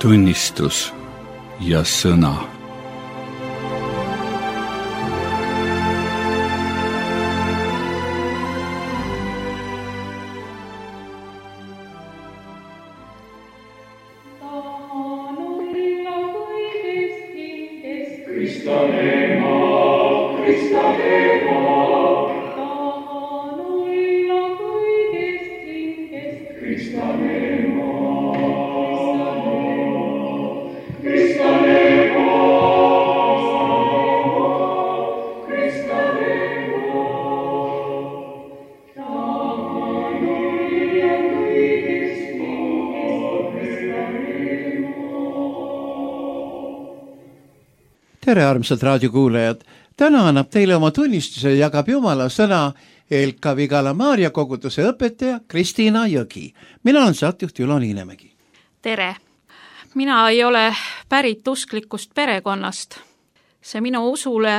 tunnistus ja sõna. Tere, armsad raadiokuulajad! Täna annab teile oma tunnistuse ja jagab Jumala sõna Elka Vigala Maarja koguduse õpetaja Kristiina Jõgi. Mina olen saatejuht Julo Liinemägi. Tere! Mina ei ole pärit usklikust perekonnast. See minu usule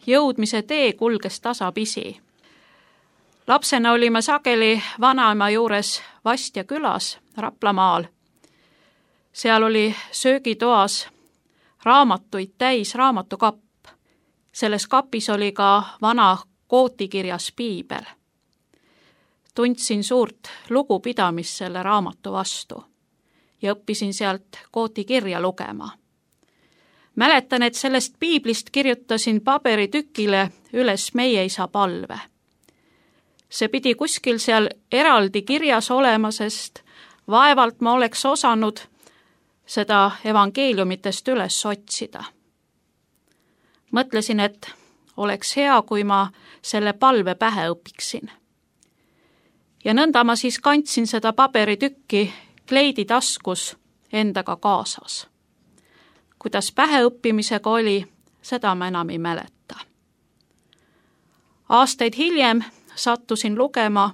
jõudmise tee kulges tasapisi. Lapsena olime sageli vanaema juures Vastja külas Raplamaal. Seal oli söögitoas raamatuid täis raamatukapp. Selles kapis oli ka vana kootikirjas piibel. Tundsin suurt lugupidamist selle raamatu vastu ja õppisin sealt kootikirja lugema. Mäletan, et sellest piiblist kirjutasin paberitükile üles meie isa palve. See pidi kuskil seal eraldi kirjas olema, sest vaevalt ma oleks osanud seda evangeeliumitest üles otsida. Mõtlesin, et oleks hea, kui ma selle palve pähe õpiksin. Ja nõnda ma siis kandsin seda paberitükki kleidi taskus endaga kaasas. Kuidas päheõppimisega oli, seda ma enam ei mäleta. Aastaid hiljem sattusin lugema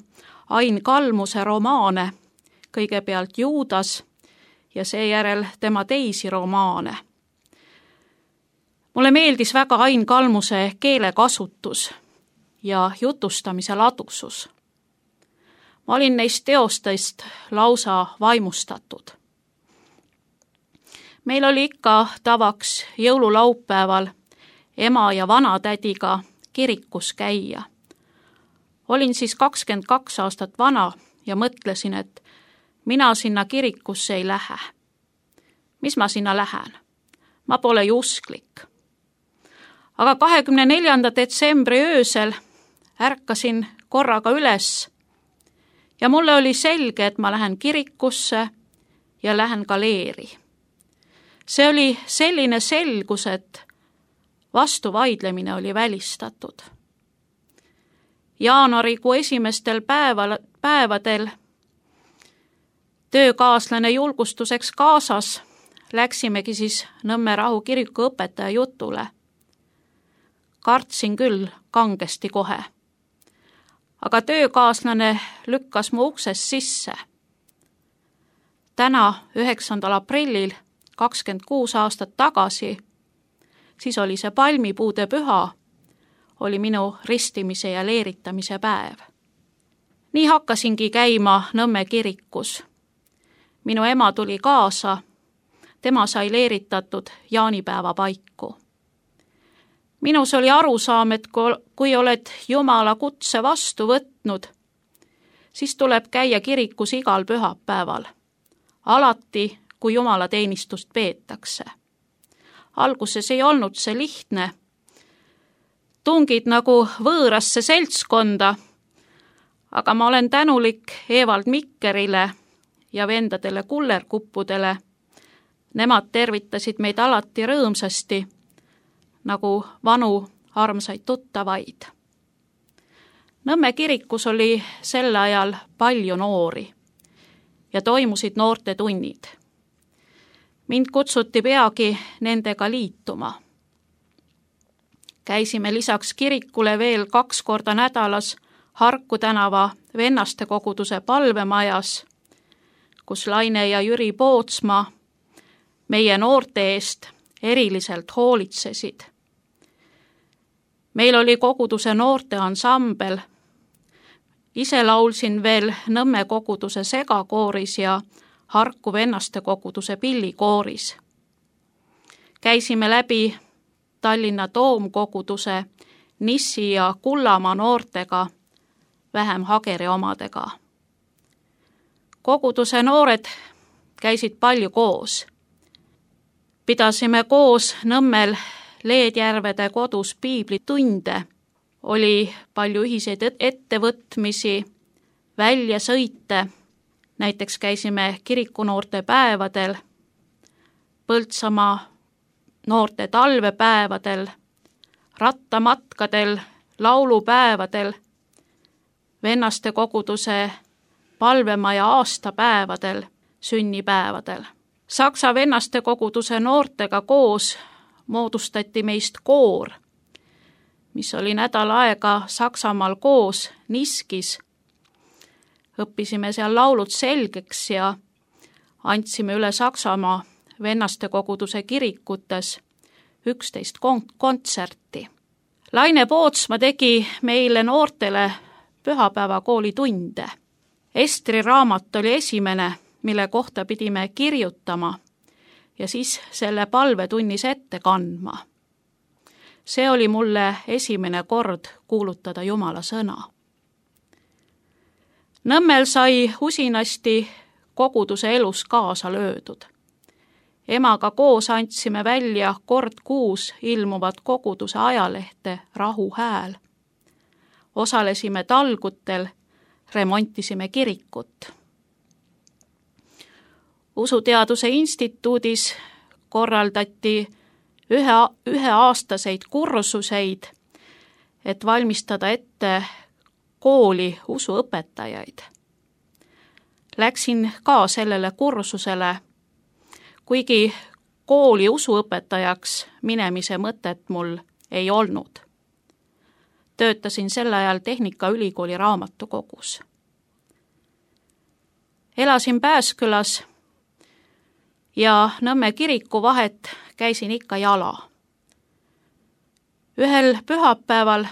Ain Kalmuse romaane, kõigepealt Juudas ja seejärel tema teisi romaane. Mulle meeldis väga Ain Kalmuse keelekasutus ja jutustamise ladusus. Ma olin neist teostest lausa vaimustatud. Meil oli ikka tavaks jõululaupäeval ema ja vanatädiga kirikus käia. Olin siis 22 aastat vana ja mõtlesin, et mina sinna kirikusse ei lähe. Mis ma sinna lähen? Ma pole ju usklik. Aga 24. detsembri öösel ärkasin korraga üles ja mulle oli selge, et ma lähen kirikusse ja lähen ka leeri. See oli selline selgus, et vastuvaidlemine oli välistatud. Jaanuarikuu esimestel päevadel töökaaslane julgustuseks kaasas läksimegi siis Nõmme Rahu kiriku õpetaja jutule. Kartsin küll kangesti kohe. Aga töökaaslane lükkas mu uksest sisse. Täna, 9. aprillil, 26 aastat tagasi, siis oli see palmipuude püha, oli minu ristimise ja leeritamise päev. Nii hakkasingi käima Nõmme kirikus. Minu ema tuli kaasa, tema sai leeritatud jaanipäeva paiku. Minus oli arusaam, et kui oled Jumala kutse vastu võtnud, siis tuleb käia kirikus igal pühapäeval, alati, kui Jumala teenistust peetakse. Alguses ei olnud see lihtne. Tungid nagu võõrasse seltskonda, aga ma olen tänulik Evald Mikkerile ja vendadele kullerkuppudele. Nemad tervitasid meid alati rõõmsasti, nagu vanu armsaid tuttavaid. Nõmme kirikus oli sel ajal palju noori ja toimusid noortetunnid. Mind kutsuti peagi nendega liituma. Käisime lisaks kirikule veel 2 korda nädalas Harku tänava vennaste koguduse palvemajas, kus Laine ja Jüri Pootsma meie noorte eest eriliselt hoolitsesid. Meil oli koguduse noorte ansambel. Ise laulsin veel Nõmme koguduse segakooris ja Harku vennaste koguduse pillikooris. Käisime läbi Tallinna Toomkoguduse, Nissi ja Kullamaa noortega, vähem Hageri omadega. Koguduse noored käisid palju koos. Pidasime koos Nõmmel Leedjärvede kodus piiblitunde, oli palju ühiseid ettevõtmisi, väljasõite, näiteks käisime kirikunoorte päevadel, Põltsamaa noorte talvepäevadel, rattamatkadel, laulupäevadel, vennaste koguduse palvemaja aastapäevadel, sünnipäevadel. Saksa vennaste koguduse noortega koos moodustati meist koor, mis oli nädal aega Saksamaal koos Niskis. Õppisime seal laulud selgeks ja andsime üle Saksamaa vennaste koguduse kirikutes 11 kontserti. Laine Pootsma tegi meile noortele pühapäevakooli tunde. Estri raamat oli esimene, mille kohta pidime kirjutama ja siis selle palvetunnis ette kandma. See oli mulle esimene kord kuulutada Jumala sõna. Nõmmel sai usinasti koguduse elus kaasa löödud. Emaga koos andsime välja kord kuus ilmuvat koguduse ajalehte Rahu Hääl. Osalesime talgutel, remontisime kirikut. Usuteaduse instituudis korraldati üheaastaseid kursuseid, et valmistada ette kooli usuõpetajaid. Läksin ka sellele kursusele, kuigi kooli usuõpetajaks minemise mõtet mul ei olnud. Töötasin sel ajal Tehnikaülikooli raamatukogus. Elasin Pääskülas ja Nõmme kiriku vahet käisin ikka jala. Ühel pühapäeval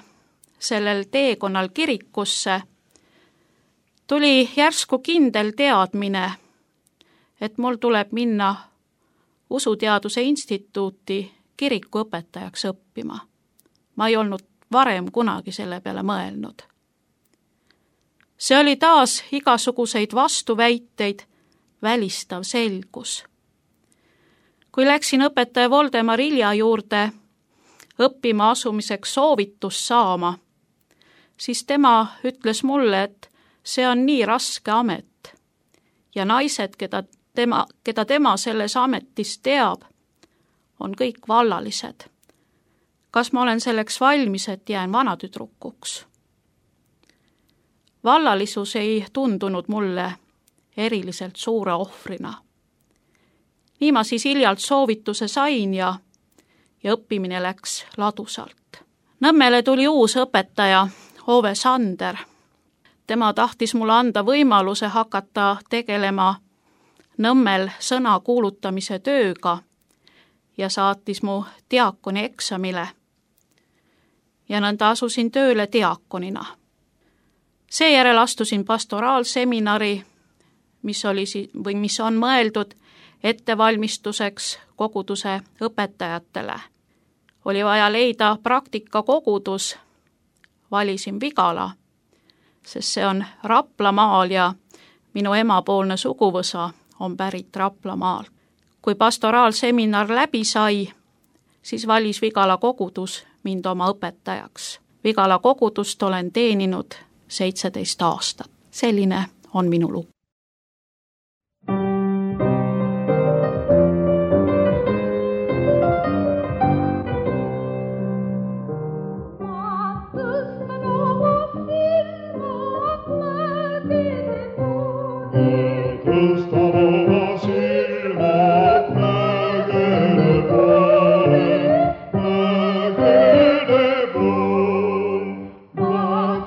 sellel teekonnal kirikusse tuli järsku kindel teadmine, et mul tuleb minna Usuteaduse instituuti kirikuõpetajaks õppima. Ma ei olnud varem kunagi selle peale mõelnud. See oli taas igasuguseid vastuväiteid välistav selgus. Kui läksin õpetaja Voldemar Ilja juurde õppima asumiseks soovitust saama, siis tema ütles mulle, et see on nii raske amet ja naised, keda tema selles ametis teab, on kõik vallalised. Kas ma olen selleks valmis, et jään vanatüdrukuks? Vallalisus ei tundunud mulle eriliselt suure ohvrina. Nii ma siis Iljalt soovituse sain ja õppimine läks ladusalt. Nõmmele tuli uus õpetaja, Ove Sander. Tema tahtis mulle anda võimaluse hakata tegelema Nõmmel sõna kuulutamise tööga ja saatis mu diakoni eksamile. Ja nõnda asusin tööle diakonina. Seejärel astusin pastoraalseminari, mis on mõeldud ettevalmistuseks koguduse õpetajatele. Oli vaja leida praktikakogudus, valisin Vigala, sest see on Raplamaal ja minu emapoolne suguvõsa on pärit Raplamaalt. Kui pastoraalseminar läbi sai, siis valis Vigala kogudus mind oma õpetajaks. Vigala kogudust olen teeninud 17 aastat. Selline on minu lugu.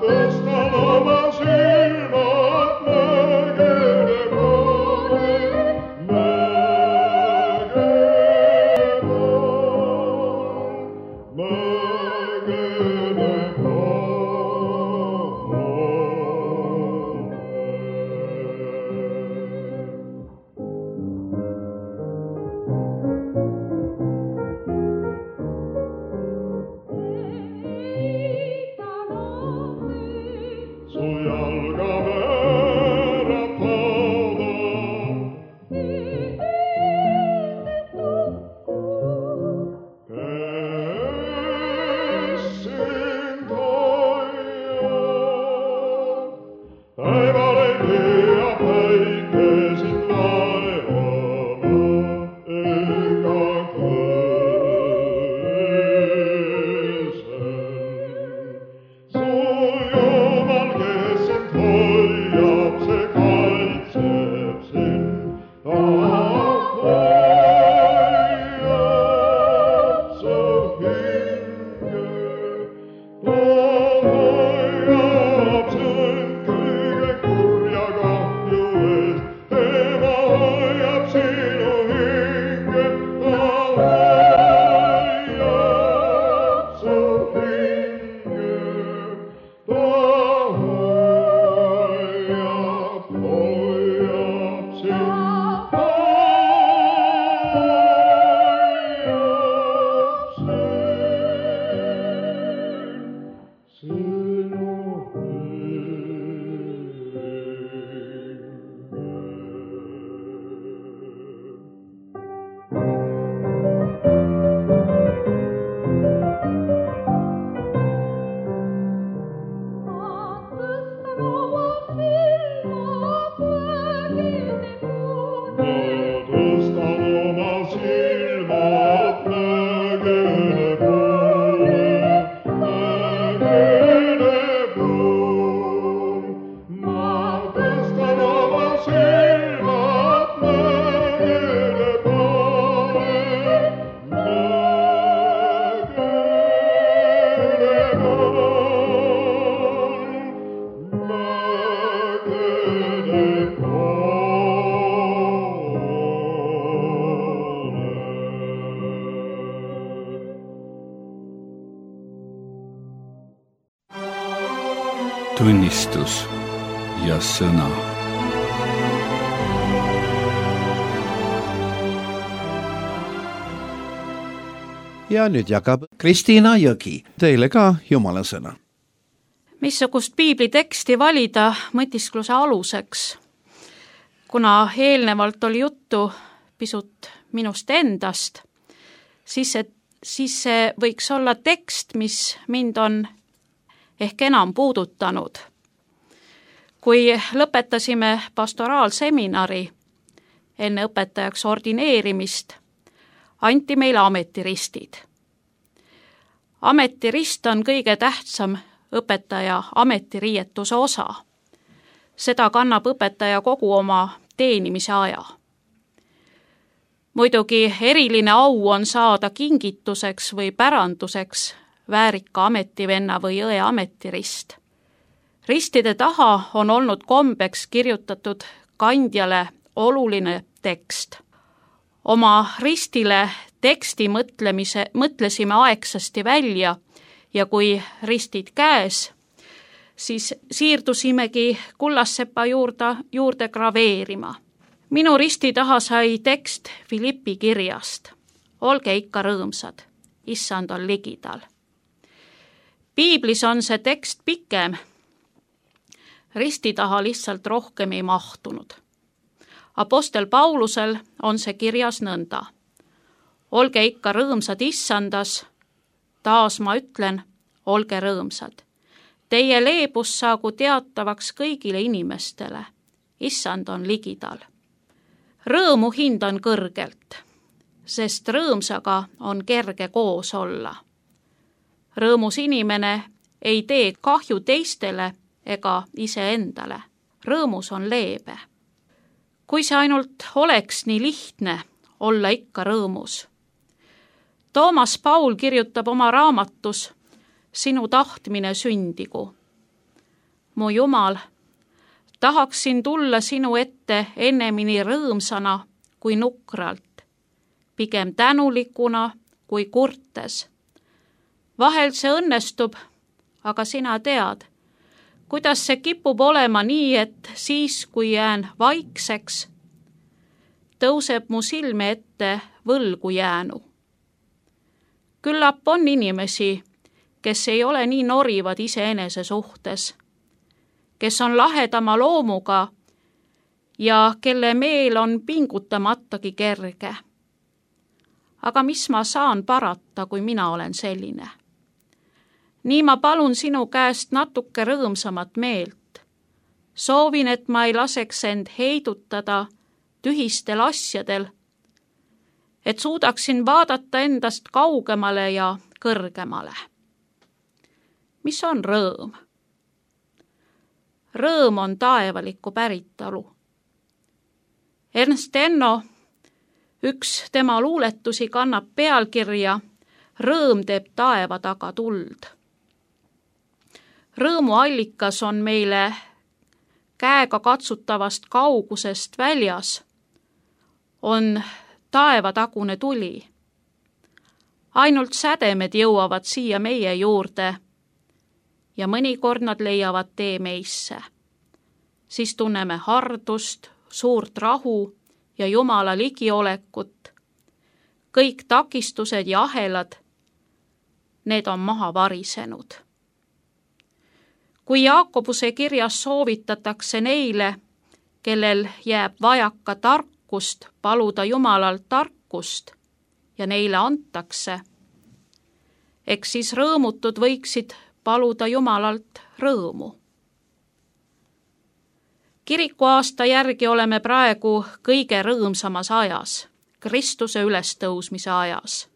Tõstan oma silmad mägede tunnistus ja sõna. Ja nüüd jagab Kristiina Jõgi teile ka Jumala sõna. Missugust piibliteksti valida mõtiskluse aluseks? Kuna eelnevalt oli juttu pisut minust endast, siis see võiks olla tekst, mis mind on ehk enam puudutanud. Kui lõpetasime pastoraalseminari enne õpetajaks ordineerimist, anti meile ametiristid. Ametirist on kõige tähtsam õpetaja ametiriietuse osa. Seda kannab õpetaja kogu oma teenimise aja. Muidugi eriline au on saada kingituseks või päranduseks väärika ametivenna või õe ametirist. Ristide taha on olnud kombeks kirjutatud kandjale oluline tekst. Oma ristile teksti mõtlesime aegsasti välja ja kui ristid käes, siis siirdusimegi kullassepa juurde graveerima. Minu risti taha sai tekst Filippi kirjast. Olge ikka rõõmsad, issand on ligidal. Piiblis on see tekst pikem. Risti taha lihtsalt rohkem ei mahtunud. Apostel Paulusel on see kirjas nõnda. Olge ikka rõõmsad issandas, taas ma ütlen, olge rõõmsad. Teie leebus saagu teatavaks kõigile inimestele. Issand on ligidal. Rõõmu hindan kõrgelt, sest rõõmsaga on kerge koos olla. Rõõmus inimene ei tee kahju teistele ega iseendale. Rõõmus on leebe. Kui see ainult oleks nii lihtne, olla ikka rõõmus. Toomas Paul kirjutab oma raamatus Sinu tahtmine sündigu. Mu Jumal, tahaksin tulla sinu ette ennemini rõõmsana kui nukralt, pigem tänulikuna kui kurtes. Vahel see õnnestub, aga sina tead, kuidas see kipub olema nii, et siis, kui jään vaikseks, tõuseb mu silme ette võlgu jäänu. Küllap on inimesi, kes ei ole nii norivad iseenese suhtes, kes on lahedama loomuga ja kelle meel on pingutamatagi kerge. Aga mis ma saan parata, kui mina olen selline? Nii ma palun sinu käest natuke rõõmsamat meelt. Soovin, et ma ei laseks end heidutada tühistel asjadel, et suudaksin vaadata endast kaugemale ja kõrgemale. Mis on rõõm? Rõõm on taevalikku päritolu. Ernst Enno, üks tema luuletusi kannab pealkirja Rõõm teeb taeva taga tuld. Rõõmu allikas on meile käega katsutavast kaugusest väljas, on taevatagune tuli. Ainult sädemed jõuavad siia meie juurde ja mõnikord nad leiavad tee meisse. Siis tunneme hardust, suurt rahu ja Jumala ligiolekut. Kõik takistused ja ahelad, need on maha varisenud. Kui Jaakobuse kirjas soovitatakse neile, kellel jääb vajaka tarkust, paluda Jumalalt tarkust ja neile antakse, eks siis rõõmutud võiksid paluda Jumalalt rõõmu. Kirikuaasta järgi oleme praegu kõige rõõmsamas ajas, Kristuse ülestõusmise ajas.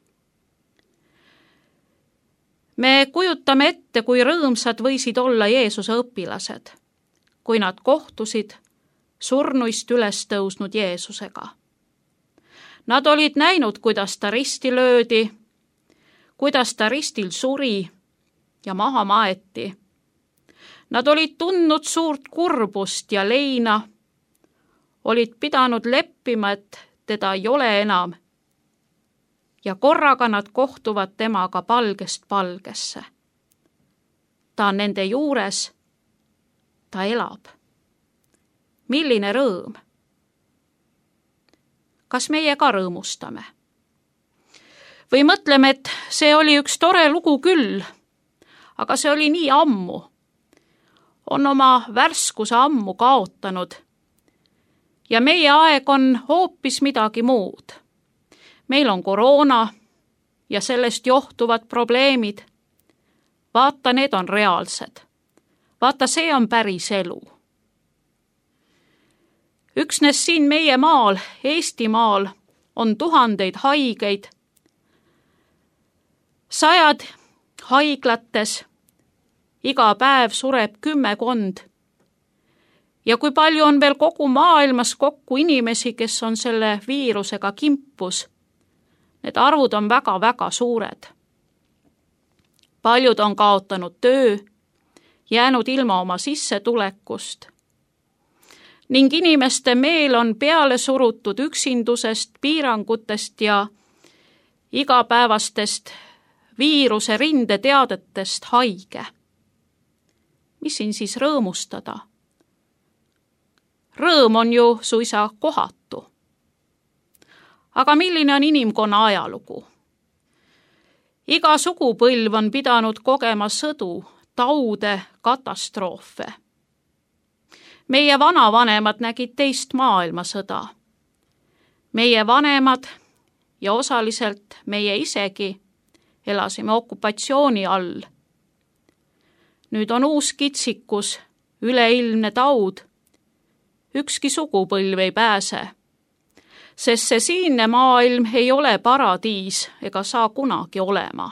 Me kujutame ette, kui rõõmsad võisid olla Jeesuse õpilased, kui nad kohtusid surnuist üles tõusnud Jeesusega. Nad olid näinud, kuidas ta risti löödi, kuidas ta ristil suri ja maha maeti. Nad olid tundnud suurt kurbust ja leina, olid pidanud leppima, et teda ei ole enam. Ja korraga nad kohtuvad temaga palgest palgesse. Ta on nende juures, ta elab. Milline rõõm! Kas meie ka rõõmustame? Või mõtleme, et see oli üks tore lugu küll, aga see oli nii ammu. On oma värskuse ammu kaotanud. Ja meie aeg on hoopis midagi muud. Meil on koroona ja sellest johtuvad probleemid. Vaata, need on reaalsed. Vaata, see on päris elu. Üksnes siin meie maal, Eestimaal, on tuhandeid haigeid. 100 haiglates, iga päev sureb 10. Ja kui palju on veel kogu maailmas kokku inimesi, kes on selle viirusega kimpus, need arvud on väga-väga suured. Paljud on kaotanud töö, jäänud ilma oma sissetulekust. Ning inimeste meel on peale surutud üksindusest, piirangutest ja igapäevastest viiruse rindeteadetest haige. Mis siin siis rõõmustada? Rõõm on ju suisa kohatu. Aga milline on inimkonna ajalugu? Iga sugupõlv on pidanud kogema sõdu, taude, katastroofe. Meie vanavanemad nägid teist maailmasõda. Meie vanemad ja osaliselt meie isegi elasime okupatsiooni all. Nüüd on uus kitsikus, üleilmne taud. Ükski sugupõlv ei pääse, sest see siinne maailm ei ole paradiis ega saa kunagi olema.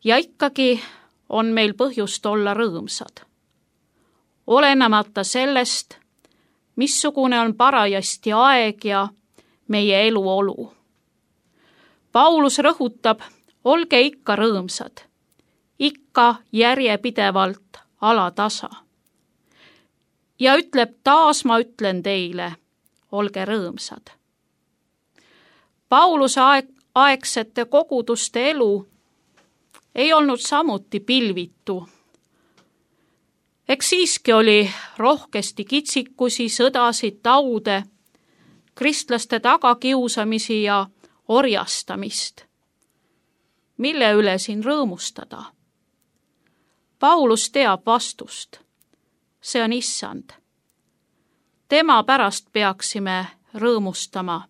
Ja ikkagi on meil põhjust olla rõõmsad. Olenemata sellest, missugune on parajasti aeg ja meie eluolu. Paulus rõhutab, olge ikka rõõmsad, ikka järjepidevalt alatasa. Ja ütleb, taas ma ütlen teile, olge rõõmsad. Pauluse aegsete koguduste elu ei olnud samuti pilvitu. Eks siiski oli rohkesti kitsikusi, sõdasid, taude, kristlaste tagakiusamisi ja orjastamist. Mille üle siin rõõmustada? Paulus teab vastust. See on Issand. Tema pärast peaksime rõõmustama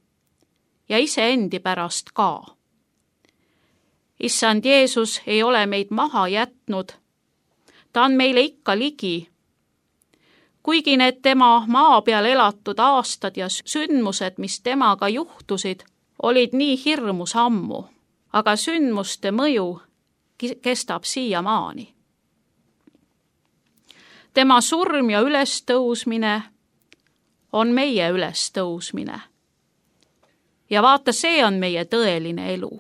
ja iseendi pärast ka. Issand Jeesus ei ole meid maha jätnud. Ta on meile ikka ligi. Kuigi need tema maa peal elatud aastad ja sündmused, mis temaga juhtusid, olid nii hirmus ammu, aga sündmuste mõju kestab siiamaani. Tema surm ja ülestõusmine on meie ülestõusmine. Ja vaata, see on meie tõeline elu.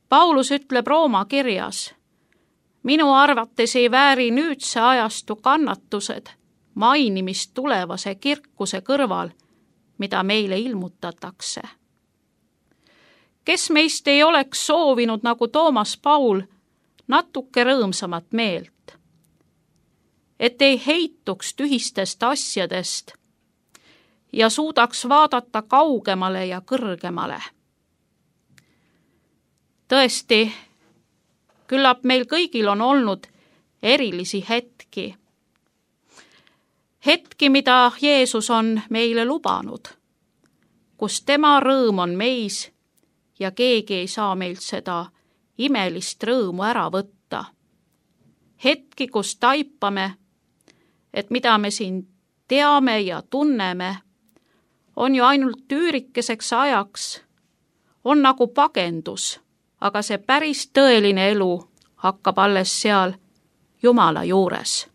Paulus ütleb Rooma kirjas, minu arvates ei vääri nüüdse ajastu kannatused mainimist tulevase kirkuse kõrval, mida meile ilmutatakse. Kes meist ei oleks soovinud, nagu Toomas Paul, natuke rõõmsamat meelt? Et ei heituks tühistest asjadest ja suudaks vaadata kaugemale ja kõrgemale. Tõesti, küllap meil kõigil on olnud erilisi hetki. Hetki, mida Jeesus on meile lubanud, kus tema rõõm on meis ja keegi ei saa meilt seda imelist rõõmu ära võtta. Hetki, kus taipame, et mida me siin teame ja tunneme, on ju ainult üürikeseks ajaks, on nagu pagendus, aga see päris tõeline elu hakkab alles seal Jumala juures,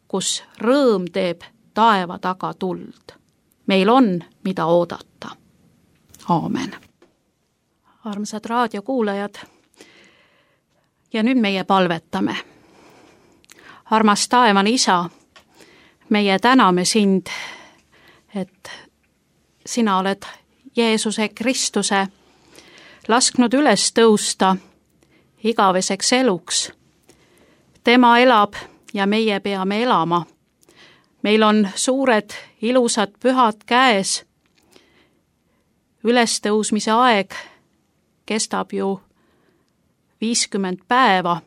kus rõõm teeb taeva taga tuld. Meil on, mida oodata. Aamen. Armsad raadiokuulajad, ja nüüd meie palvetame. Armas taevane Isa, meie täname sind, et sina oled Jeesuse Kristuse lasknud üles tõusta igaveseks eluks. Tema elab ja meie peame elama. Meil on suured, ilusad pühad käes. Ülestõusmise aeg kestab ju 50 päeva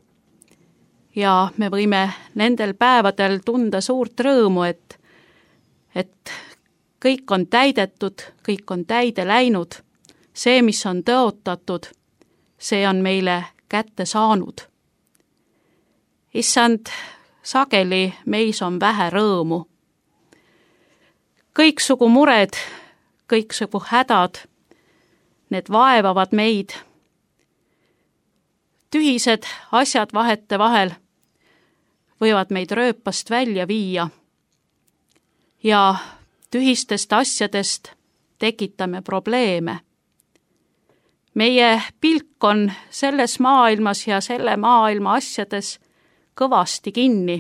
ja me võime nendel päevadel tunda suurt rõõmu, et kõik on täidetud, kõik on täide läinud. See, mis on tõotatud, see on meile kätte saanud. Issand, sageli meis on vähe rõõmu. Kõiksugu mured, kõiksugu hädad, need vaevavad meid. Tühised asjad vahete vahel võivad meid rööpast välja viia ja tühistest asjadest tekitame probleeme. Meie pilk on selles maailmas ja selle maailma asjades kõvasti kinni.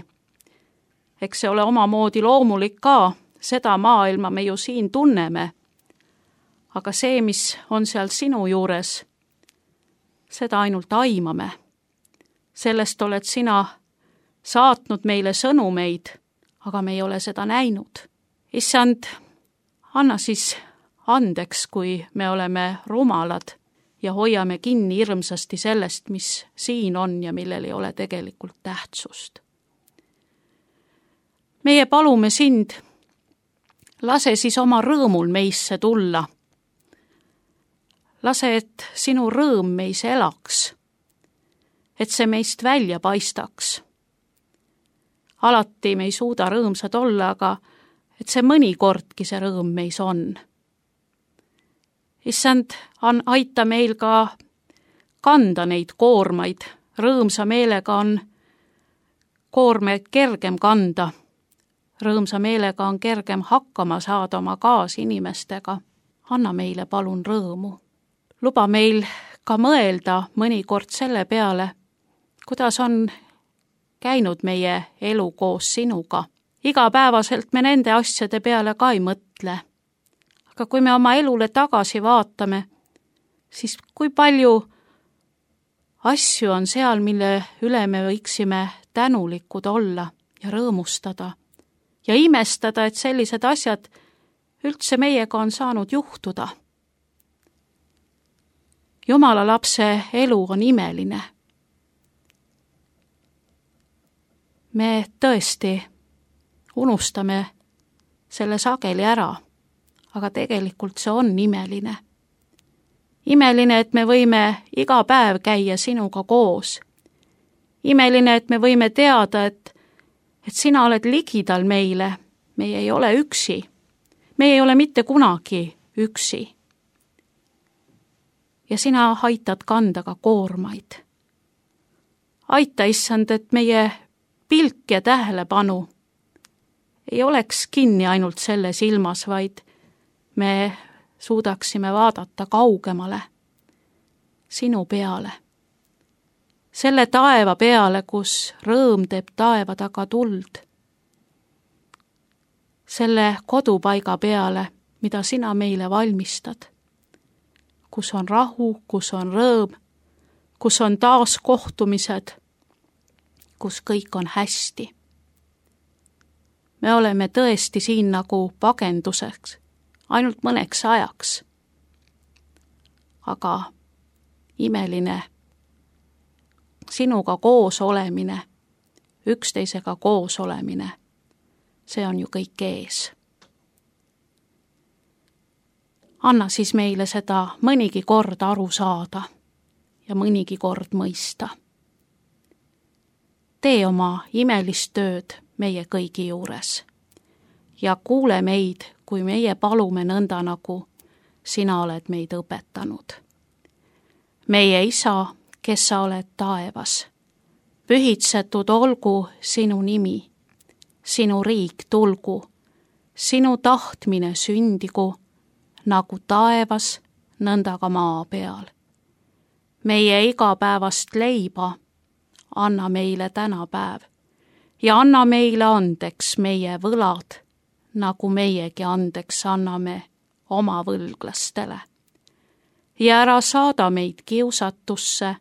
Eks see ole omamoodi loomulik ka, seda maailma me ju siin tunneme. Aga see, mis on seal sinu juures, seda ainult aimame. Sellest oled sina saatnud meile sõnumeid, aga me ei ole seda näinud. Issand, anna siis andeks, kui me oleme rumalad ja hoiame kinni hirmsasti sellest, mis siin on ja millel ei ole tegelikult tähtsust. Meie palume sind, lase siis oma rõõmul meisse tulla. Lase, et sinu rõõm meis elaks, et see meist välja paistaks. Alati me ei suuda rõõmsad olla, aga et see mõnikordki see rõõm meis on. Issand, aita meil ka kanda neid koormaid. Rõõmsa meelega on koormeid kergem kanda. Rõõmsa meelega on kergem hakkama saada oma kaasinimestega. Anna meile palun rõõmu. Luba meil ka mõelda mõnikord selle peale, kuidas on käinud meie elu koos sinuga. Igapäevaselt me nende asjade peale ka ei mõtle. Aga kui me oma elule tagasi vaatame, siis kui palju asju on seal, mille üle me võiksime tänulikud olla ja rõõmustada ja imestada, et sellised asjad üldse meiega on saanud juhtuda. Jumala lapse elu on imeline. Me tõesti unustame selle sageli ära, aga tegelikult see on imeline. Imeline, et me võime iga päev käia sinuga koos. Imeline, et me võime teada, et sina oled ligidal meile, meie ei ole üksi. Me ei ole mitte kunagi üksi. Ja sina aitad kanda ka koormaid. Aita, issand, et meie pilk ja tähelepanu ei oleks kinni ainult selles ilmas, vaid me suudaksime vaadata kaugemale sinu peale. Selle taeva peale, kus rõõm teeb taeva taga tuld. Selle kodupaiga peale, mida sina meile valmistad. Kus on rahu, kus on rõõm, kus on taas kohtumised, kus kõik on hästi. Me oleme tõesti siin nagu pagenduseks, ainult mõneks ajaks. Aga imeline sinuga koos olemine, üksteisega koos olemine, see on ju kõik ees. Anna siis meile seda mõnigi kord aru saada ja mõnigi kord mõista. Tee oma imelist tööd meie kõigi juures ja kuule meid, kui meie palume nõnda, nagu sina oled meid õpetanud. meie Isa, kes sa oled taevas. Pühitsetud olgu sinu nimi, sinu riik tulgu, sinu tahtmine sündigu, nagu taevas, nõnda ka maa peal. Meie igapäevast leiba anna meile tänapäev ja anna meile andeks meie võlad, nagu meiegi andeks anname oma võlglastele. Ja ära saada meid kiusatusse,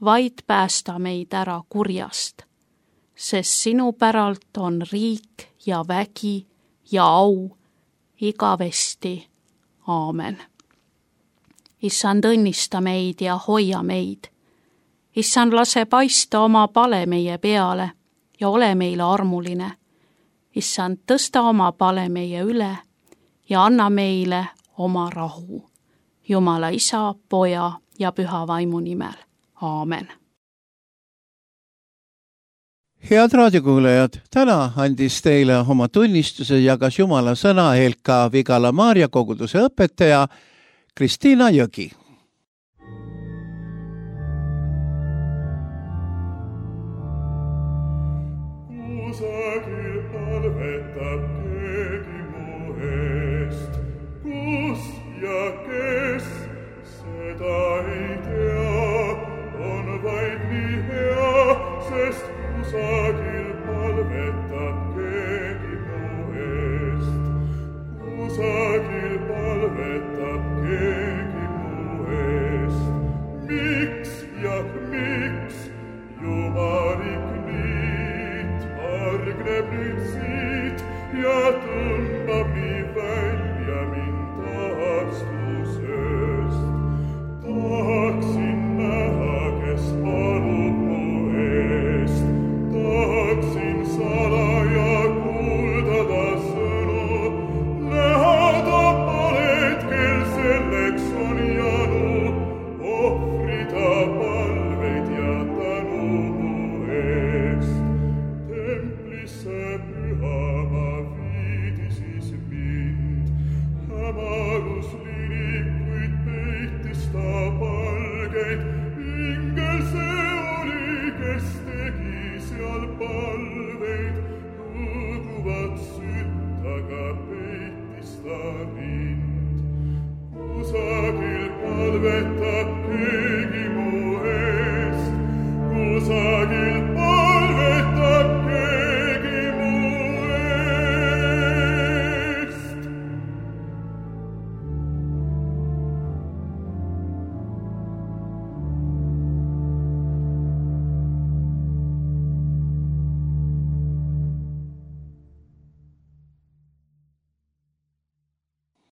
vaid päästa meid ära kurjast, sest sinu päralt on riik ja vägi ja au igavesti. Aamen. Issand, õnnista meid ja hoia meid. Issand, lase paista oma pale meie peale ja ole meile armuline. Issand, tõsta oma pale meie üle ja anna meile oma rahu. Jumala Isa, Poja ja Püha Vaimu nimel. Aamen. Head raadiokuulajad, täna andis teile oma tunnistuse ja jagas Jumala sõna Helka Vigala Maarja koguduse õpetaja Kristiina Jõgi. Kusagil palvetab keegi mu eest, kus ja kes, seda ei tea, on vaid nii hea, sest kusagil palvetab keegi mu eest. Kusagil palvetab keegi mu eest. Miks ja miks jumalik niit hargneb nüüd siit ja tõmbab nii välja mind taastusest. Tahaksin näha, kes palub mu eest. Tahaksin salaja kuuldada sõnu. Näha ta paled, kel selleks on janu. Ohvrida palveid ja tänu mu eest. Templisse pühama viidi siis mind. Hämarus lirikuid peitis ta palgeid. Ingel see oli, kes tegi seal palveid. Õõguvat sütt, aga peitis ta mind. Kusagil palvetab keegi